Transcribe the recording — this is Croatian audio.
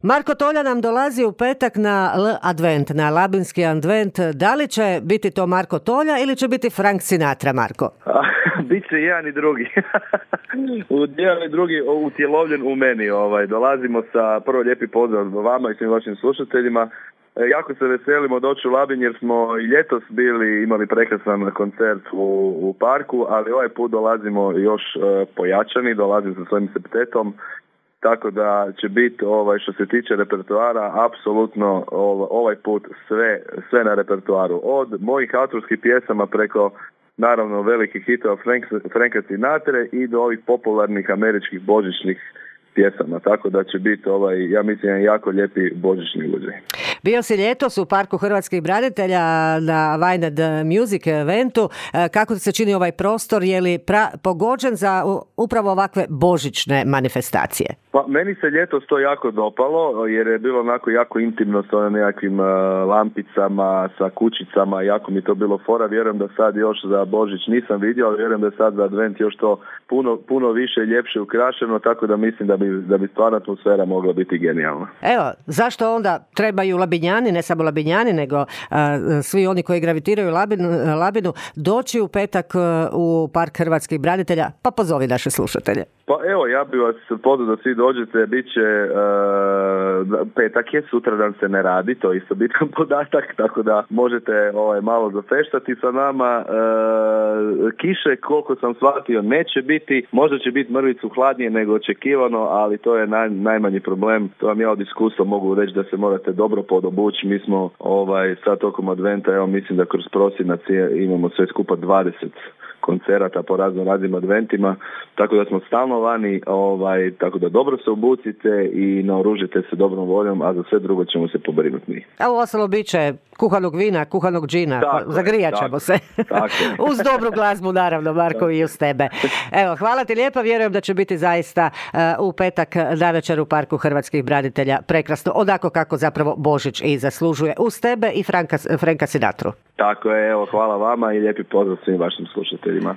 Marko Tolja nam dolazi u petak na Advent, na Labinski Advent. Da li će biti to Marko Tolja ili će biti Frank Sinatra, Marko? Biće jedan i drugi. Jedan i drugi utjelovljen u meni. Dolazimo sa prvo lijepi pozdrav vama i svim vašim slušateljima. Jako se veselimo doći u Labin jer smo i ljetos imali prekrasan koncert u parku, ali ovaj put dolazimo još pojačani, dolazim sa svojim septetom. Tako da će biti što se tiče repertoara apsolutno ovaj put sve na repertoaru. Od mojih autorskih pjesama preko naravno velikih hitova Franka Sinatre i do ovih popularnih američkih božićnih pjesama. Tako da će biti ja mislim, jako lijepi božićni uđaj. Bio si ljetos u Parku hrvatskih branitelja na Wynad Music eventu. Kako se čini ovaj prostor? Je li pogođen za upravo ovakve božićne manifestacije? Pa meni se ljetos to jako dopalo jer je bilo onako jako intimno sa nekakvim lampicama, sa kućicama, jako mi to bilo fora. Vjerujem da sad još za Božić nisam vidio, ali vjerujem da je sad za Advent još to puno više i ljepše ukrašeno, tako da mislim da bi stvarna atmosfera mogla biti genijalna. Evo, zašto onda trebaju Labinjani, ne samo Labinjani, nego svi oni koji gravitiraju Labinu, doći u petak u Park hrvatskih branitelja? Pa pozovi naše slušatelje. Pa evo, ja bih vas pozvao da svi dođete, bit će petak je, sutradan se ne radi, to je isto bitan podatak, tako da možete malo zafeštati sa nama. Kiše, koliko sam shvatio, neće biti, možda će biti mrvicu hladnije nego očekivano, ali to je najmanji problem. To vam ja od iskustva mogu reći da se morate dobro podobući. Mi smo sad tokom Adventa, evo mislim da kroz prosinac imamo sve skupa 20 koncerata po raznim adventima, tako da smo stalno vani, tako da dobro se obucite i naoružite se dobrom voljom, a za sve drugo ćemo se pobrinuti mi. A u ostalo bit će kuhanog vina, kuhanog džina, zagrijat ćemo se. Uz dobru glazbu, naravno, Marko, i uz tebe. Evo, hvala ti lijepa, vjerujem da će biti zaista u petak navečer u Parku hrvatskih branitelja prekrasno, onako kako zapravo Božić i zaslužuje, uz tebe i Franka Sinatru. Tako je, evo, hvala vama i lijepi pozdrav svim vašim slušateljima.